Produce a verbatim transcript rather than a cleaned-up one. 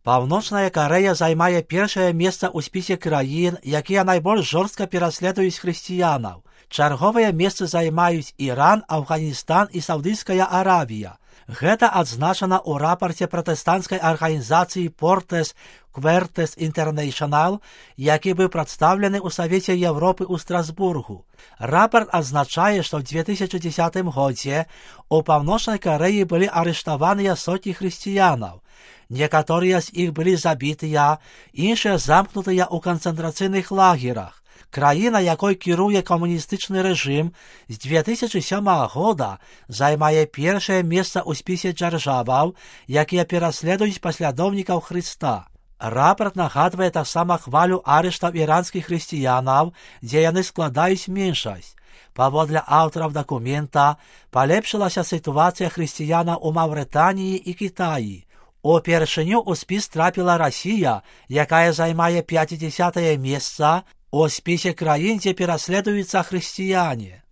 Паўночная Карэя займае першае месца ў спісе краін, якія найбольш жорстка пераследуюць хрысціянаў. Чарговыя месцы займаюць Іран, Афганістан і Саўдыйская Аравія. Гэта адзначана ў рапарце пратэстанцкай арганізацыі Portes Quertes International, які быў прадстаўлены ў Савеце Европы ў Страсбургу. Рапарт адзначае, што ў две тысячы дзесятым годзе у Паўночнай Карэі былі арыштаваныя сотні хрысціянаў. Некаторыя з іх былі забітыя, іншыя замкнутыя ў канцэнтрацыйных лагерах. Краіна, якой кіруе камуністычны рэжым, з две тысячы сёмага года займае першае месца ў спісе дзяржаваў, якія пераследуюць паслядоўнікаў Хрыста. Рапарт нагадвае таксама хвалю арыштаў іранскіх хрысціянаў, дзе яны складаюць меншасць. Паводле аўтараў дакумента, палепшылася сітуацыя хрысціянаў у Маўрытаніі і Кітаі. Упершыню ў спіс трапіла Расія, якая займае пяцідзясятае месца у спісе краін, дзе пераследуюцца хрысціяне.